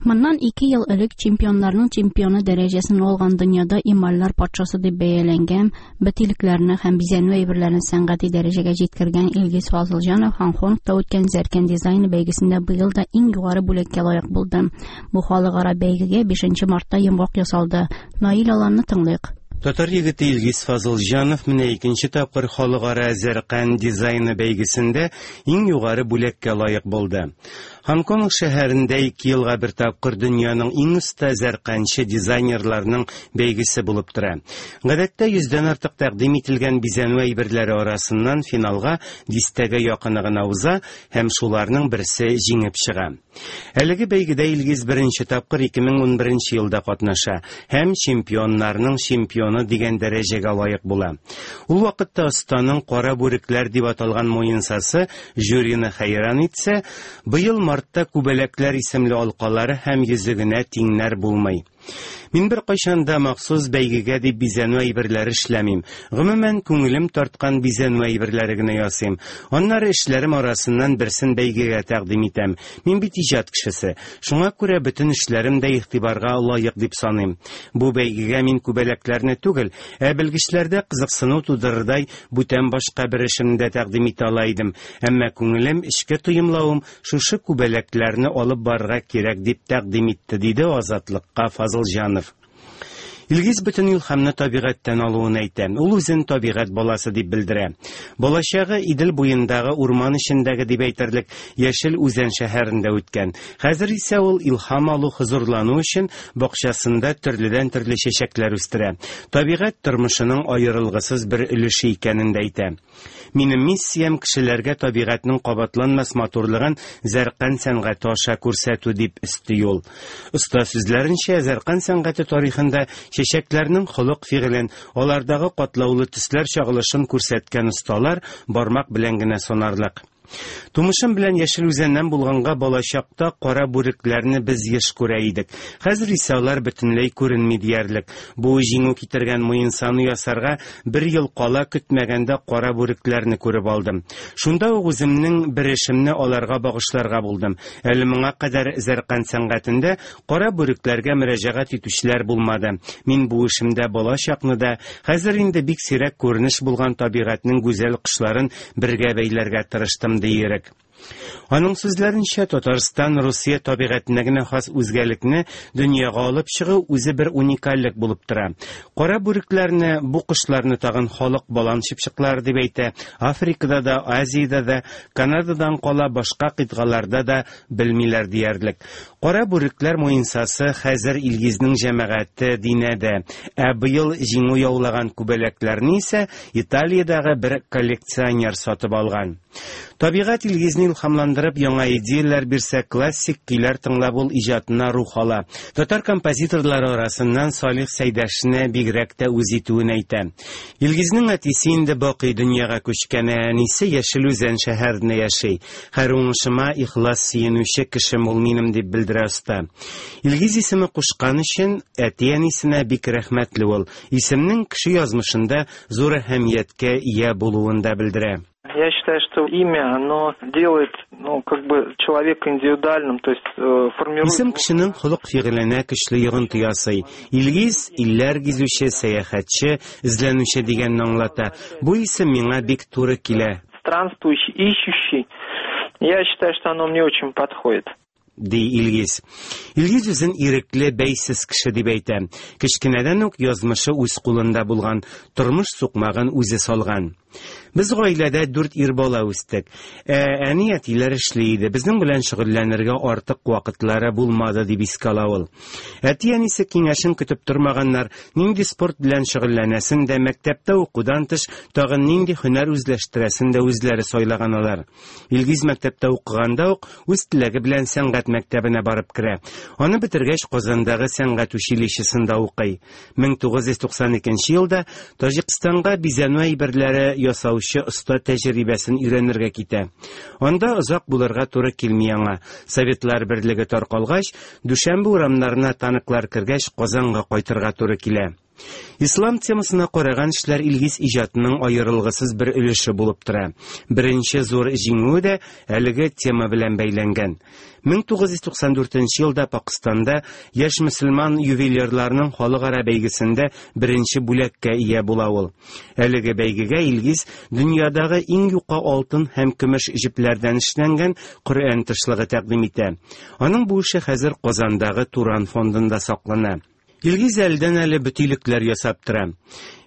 Моннан ике ел элек чемпионнарның чемпионы дәрәҗәсен алган дөньяда эмальләр патшасы дип бәяләнгән, бөтилекләрне һәм бизәнү әйберләрен сәнгати дәрәҗәгә җиткергән Илгиз Фазылҗанов Һонконгта үткән Зәркән дизайны бәйгесендә быел да иң югары бүләккә лаек булды. Бу халыкара бәйгегә 5 мартта йомгак ясалды. Наил Аланны тыңлыйк. Татар егете Илгиз Фазылҗанов менә икенче тапкыр халыкара Зәркән дизайны бәйгесендә иң югары бүләккә лаек булды. Һонконг шәһәрендә ике елга бер тапкыр дөньяның иң оста зәрканчы дизайнерларының бәйгесе булып тора. Гадәттә йөздән артык тәкъдим ителгән бизәнү әйберләре арасыннан финалга дистәгә якыны гына уза һәм шуларның берсе җиңеп чыга. Әлеге бәйгедә Илгиз беренче тапкыр 2011 елда катнаша һәм чемпионнарның чемпионы дигән дәрәҗәгә лаек була. Ул вакытта останың Кара бүрекләр дип аталган муенсасы жюрины хәйран итсә, быел мартта Күбәләкләр исемле алкалары һәм йөзегенә тиңнәр булмый. Мин беркайчан да махсус бәйгегә дип бизәнү әйберләре эшләмим. Гомумән, күңелем тарткан бизәнү әйберләре генә ясыйм. Аннары эшләрем арасыннан берсен бәйгегә тәкъдим итәм. Мин бит иҗат кешесе. Шуңа күрә бөтен эшләрем дә игътибарга лаек дип саныйм. Бу бәйгегә мин күбәләкләрне түгел, ә белгечләрдә кызыксыну тудырырдай бүтән башка бер эшемне дә тәкъдим итә ала идем. Әмма күңелем, эчке тоемлавым шушы күбәләкләрне алып барырга кирәк дип тәкъдим итте, диде Азатлыкка Фазылҗанов. Илгиз бөтен илһамны табигатьтән алуын әйтә. Ул үзен табигать баласы дип белдерә. Балачагы Идел буендагы урман эчендәге дип әйтерлек Яшел Үзән шәһәрендә үткән. Хәзер исә ул илһам алу, хозурлану өчен бакчасында төрледән-төрле чәчәкләр үстерә. Табигать тормышының аерылгысыз бер өлеше икәнен дә әйтә. Минем миссиям кешеләргә табигатьнең кабатланмас матурлыгын зәркан сәнгате аша күрсәтү, дип өсти ул. Оста сүзләренчә, зәркан сәнгате тарихында чәчәкләрнең холык-фигылен, алардагы катлаулы төсләр чагылышын күрсәткән осталар бармак белән генә санарлык. Тумышым белән Яшел Үзәннән булганга балачакта кара бүрекләрне без еш күрә идек. Хәзер исә алар бөтенләй күренми диярлек. Бу җиңү китергән муенсаны ясарга бер ел кала көтмәгәндә кара бүрекләрне күреп алдым. Шунда ук үземнең бер эшемне аларга багышларга булдым. Әле моңа кадәр зәркан сәнгатендә кара бүрекләргә мөрәҗәгать итүчеләр булмады. Мин бу эшемдә балачакны да, хәзер инде бик сирәк күренеш булган табигатьнең гүзәл кошларын бергә бәйләргә тырыштым, ди Ирек. Аның сүзләренчә, Татарстан Русия табигатенә генә хас үзгәлекне дөньяга алып чыгу үзе бер уникальлек булып тора. Кара бүрекләрне, бу кошларны тагын халык балан чыпчыклары дип әйтә, Африкада да, Азиядә дә, Канададан кала башка кыйтгаларда да белмиләр диярлек. Кара бүрекләр муенсасы хәзер Илгизнең җәмәгате Динәдә, ә быел җиңү яулаган күбәләкләрне исә Италиядәге бер коллекционер сатып алган. Табигать Илгизне илһамландырып яңа идеяләр бирсә, классик көйләр тыңлап ул иҗатына рух ала. Татар композиторлары арасыннан Салих Сәйдәшне бигрәк тә үз итүен әйтә. Илгизнең әтисе инде бакый дөньяга күчкән, ә әнисе Яшел Үзән шәһәрендә яши. Һәр уңышыма ихлас сөенүче кешем ул минем, дип белдерә оста. Илгиз исеме кушкан өчен әти-әнисенә бик рәхмәтле ул. Исемнең кеше язмышында зур әһәмияткә ия булуын да белдерә. Я считаю, что имя, оно делает, ну, как бы человека индивидуальным, то есть формирует... Исем кешенең холык-фигыленә көчле йогынты ясый. Илгиз, илләр гизүче, сәяхәтче, эзләнүче дигәнне аңлата. Бу исем миңа бик туры килә. Странствующий, ищущий. Я считаю, что оно мне очень подходит. Ди Илгиз. Илгиз үзен ирекле, бәйсез кеше дип әйтә. Кечкенәдән үк язмышы үз кулында булган, тормыш сукмагын үзе салган. Без гаиләдә дүрт ир бала үстек. Ә әни әтиләр эшли иде. Безнең белән шөгыльләнергә артык вакытлары булмады, дип искә ала ул. Әти-әнисе киңәшен көтеп тормаганнар, нинди спорт белән шөгыльләнәсен дә, мәктәптә укудан тыш тагын нинди һөнәр үзләштерәсен дә үзләре сайлаган алар. Илгиз мәктәптә укыганда ук үз теләге белән сәнгать мәктәбенә барып керә. Аны бетергәч, Казандагы сәнгать училищесында укый. 1992 елда Таҗикстанга бизәнү әйберләре ясаучы оста тәҗрибәсен өйрәнергә китә. Анда озак булырга туры килми аңа. Советлар берлеге таркалгач, Дүшәмбе урамнарына танклар кергәч, Казанга кайтырга туры килә. Ислам темасына караган эшләр Илгиз иҗатының аерылгысыз бер өлеше булып тора. Беренче зур җиңүе дә әлеге тема белән бәйләнгән. 1994 елда Пакыстанда яшь мөселман ювелирларының халыкара бәйгесендә беренче бүләккә ия була ул. Әлеге бәйгегә Илгиз дөньядагы иң юка алтын һәм көмеш җепләрдән эшләнгән Коръән тышлыгы тәкъдим итә. Аның бу эше хәзер Казандагы Туран фондында саклана. Илгиз әледән-әле бөтилекләр ясап тора.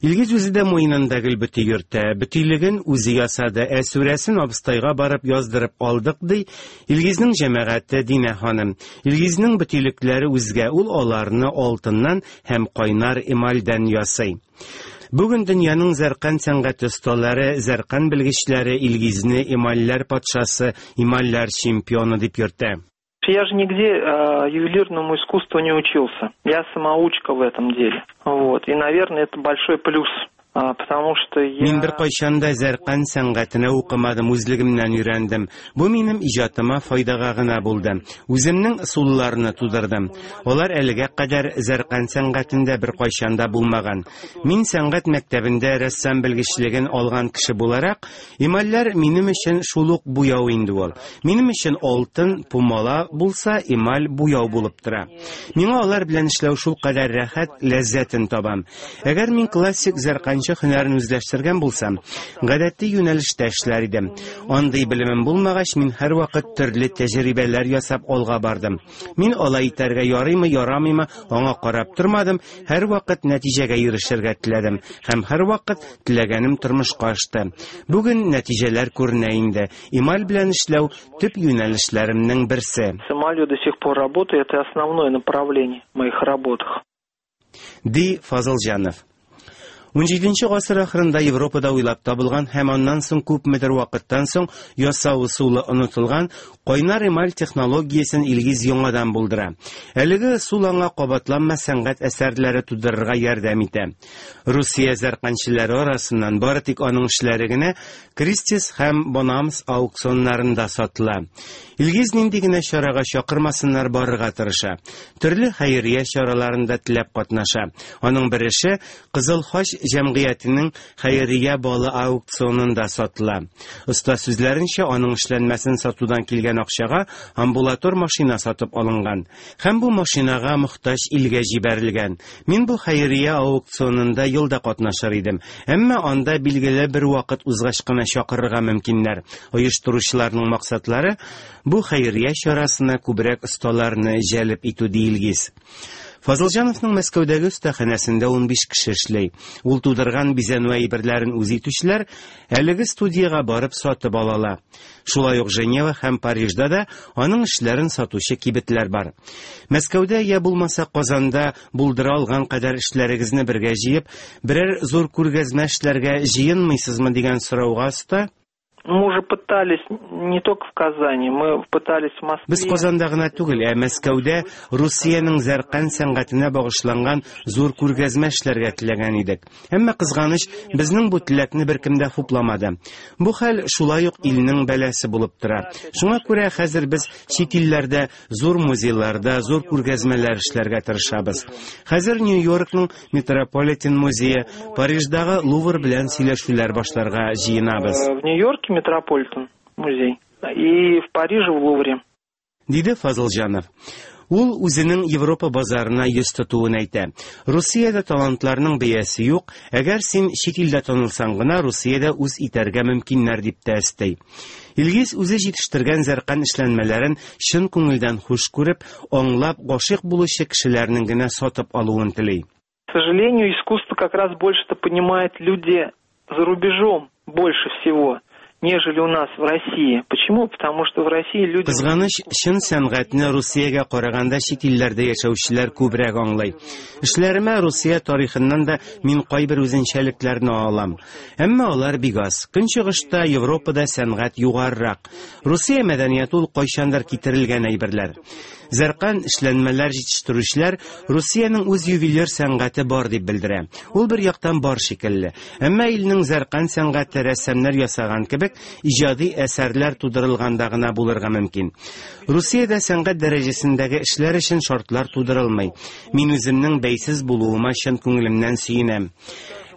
Илгиз үзе дә муенында гел бөти йөртә. Бөтилеген үзе ясады, ә сүрәсен абыстайга барып яздырып алдык, ди Илгизнең җәмәгате Динә ханым. Илгизнең бөтилекләре үзгә, ул аларны алтыннан һәм кайнар эмальдән ясый. Бүген дөньяның зәркан сәнгате осталары, зәркан белгечләре Илгизне эмальләр патшасы, эмальләр чемпионы дип йөртә. Я же нигде ювелирному искусству не учился. Я самоучка в этом деле. Вот. И, наверное, это большой плюс. Потому что я... Мин беркайчан да зәркан сәнгатенә укымадым, үзлегемнән өйрәндем. Бу минем иҗатыма файдага гына булды. Үземнең ысулларны тудырдым. Алар әлегә кадәр зәркан сәнгатендә беркайчан да булмаган. Мин сәнгать мәктәбендә рәссам белгечлеген алган кеше буларак, Эмальләр минем өчен шул ук буяу инде ул. Минем өчен алтын, пумала булса, эмаль буяу булып тора. Миңа алар белән эшләү шулкадәр рәхәт, ләззәтен табам. Әгәр мин классик зәрканчы һөнәрен үзләштергән булсам, гадәти юнәлештә эшләр идем. Андый белемем булмагач, мин һәрвакыт төрле тәҗрибәләр ясап алга бардым. Мин алай итәргә ярыймы, ярамыймы, аңа карап тормадым, һәрвакыт нәтиҗәгә ирешергә теләдем һәм һәрвакыт теләгәнем тормышка ашты. Бүген нәтиҗәләр күренә инде. Эмаль белән эшләү төп юнәлешләремнең берсе. С эмалью до сих пор работаю, это основное направление в моих работах. Ди Фазылҗанов. Унҗиденче гасыр ахырында Европада уйлап табылган һәм аннан соң күпмедер вакыттан соң ясау ысулы онытылган кайнар эмаль технологиясен Илгиз яңадан булдыра. Әлеге ысул аңа кабатланмас сәнгать әсәрләре тудырырга ярдәм итә. Русия зәрканчеләре арасыннан бары тик аның эшләре генә Кристис һәм Бонамс аукционнарында сатыла. Илгиз нинди генә чарага чакырмасыннар барырга тырыша. Төрле хәйрия чараларында теләп катнаша. Аның бер эше Кызыл Хач җәмгыятенең хәйрия балы аукционында сатыла. Оста сүзләренчә, аның эшләнмәсен сатудан килгән акчага амбулатор машина сатып алынган. Һәм бу машинага мохтаҗ илгә җибәрелгән. Мин бу хәйрия аукционында ел да катнашыр идем. Әмма анда билгеле бер вакыт узгач кына чакырырга мөмкиннәр. Оештыручыларның максатлары, бу хәйрия чарасына күбрәк осталарны җәлеп итү, ди Илгиз. Фазылҗановның Мәскәүдәге остаханәсендә 15 кеше эшли. Ул тудырган бизәнү әйберләрен үз итүчеләр әлеге студиягә барып сатып алала. Шулай ук Женева һәм Парижда да аның эшләрен сатучы кибетләр бар. Мәскәүдә я булмаса Казанда булдыра алган кадәр эшләрегезне бергә җыеп, берәр зур күргәзмә эшләргә җыенмыйсызмы дигән сорауга оста Мы уже пытались не только в Казани, мы пытались в Москве. Без Казанда гына түгел, ә Мәскәүдә Русиянең зәркан сәнгатенә багышланган зур күргәзмә эшләргә теләгән идек. Әмма кызганыч, безнең бу теләкне беркем дә хупламады. Бу хәл шулай ук илнең бәласе булып тора. Шуңа күрә хәзер без чит илләрдә зур музейларда зур күргәзмәләр эшләргә тырышабыз. Хәзер Нью-Йоркның Метрополитен музее, Париждагы Лувр белән сөйләшүләр башларга җыенабыз. В Нью-Йорке Метрополитен музей и в Париже в Лувре. Диде Фазылҗанов. Ул үзенең Европа базарына йөз тотуын әйтә. Русиядә талантларның бәясе юк, әгәр син чит илдә танылсаң гына Русиядә үз итәргә мөмкиннәр дип тә өсти. Илгиз үзе җитештергән зәркан эшләнмәләрен чын күңелдән хуш күреп, аңлап, гашыйк булучы кешеләрнең генә сатып алуын тели. К сожалению, искусство как раз больше-то понимают люди за рубежом больше всего, нежели у нас в России. Почему? Потому что в России люди... Кызганыч, чын сәнгатьне Русиягә караганда чит илләрдә яшәүчеләр күбрәк аңлый. Эшләремә Русия тарихыннан да мин кайбер үзенчәлекләрне алам. Әмма алар бик аз. Көнчыгышта, Европада сәнгать югарырак. Русия мәдәнияте ул кайчандыр китерелгән әйберләр. Зәркан эшләнмәләр җитештерүчеләр Русиянең үз ювелир сәнгате бар дип белдерә. Ул бер яктан бар шикелле. Әмма илнең зәркан сәнгате рәссамнар ясаган кебек җитәрлек иҗади әсәрләр тудырылганда гына булырга мөмкин. Русиядә сәнгать дәрәҗәсендәге эшләр өчен шартлар тудырылмый. Мин үземнең бәйсез булуыма чын күңелемнән сөенәм.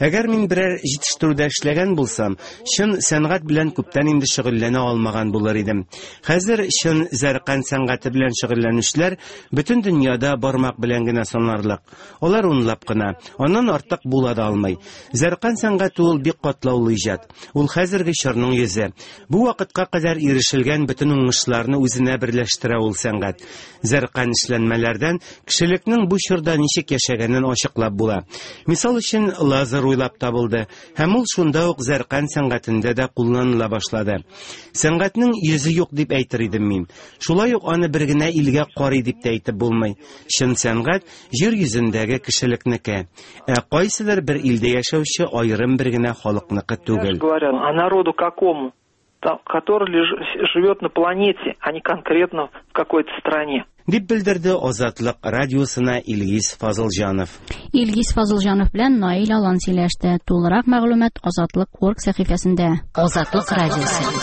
Әгәр мин берәр җитештерүдә эшләгән булсам, чын сәнгать белән күптән инде шөгыльләнә алмаган булыр идем. Хәзер чын зәркан сәнгате белән шөгыльләнүчеләр бөтен дөньяда бармак белән генә санарлык. Алар унлап кына, аннан артык була да алмый. Зәркан сәнгате ул бик катлаулы иҗат. Ул хәзерге чорның йөзе. Бу вакытка кадәр ирешелгән бөтен уңышларны үзенә берләштерә ул сәнгать. Зәркан эшләнмәләрдән кешелекнең бу чорда ничек яшәгәнен ачыклап була. Мисал өчен, лазер уйлап табылды, һәм ул шунда ук зәркан сәнгатендә дә кулланыла башлады. Сәнгатьнең йөзе юк дип әйтер идем мин. Шулай ук аны бер генә илгә карый дип тә әйтеп булмый. Чын сәнгать җир йөзендәге кешелекнеке. Ә кайсыдыр бер илдә яшәүче аерым бер генә халыкныкы түгел. Говоря, а народу какому? Который живет на планете, а не конкретно в какой-то стране. Дип белдерде Азатлык радиосына Илгиз Фазылҗанов. Илгиз Фазылҗанов белән Наил Алан сөйләште. Тулырак мәгълүмат Азатлык.орг сәхифәсендә. Азатлык радиосы.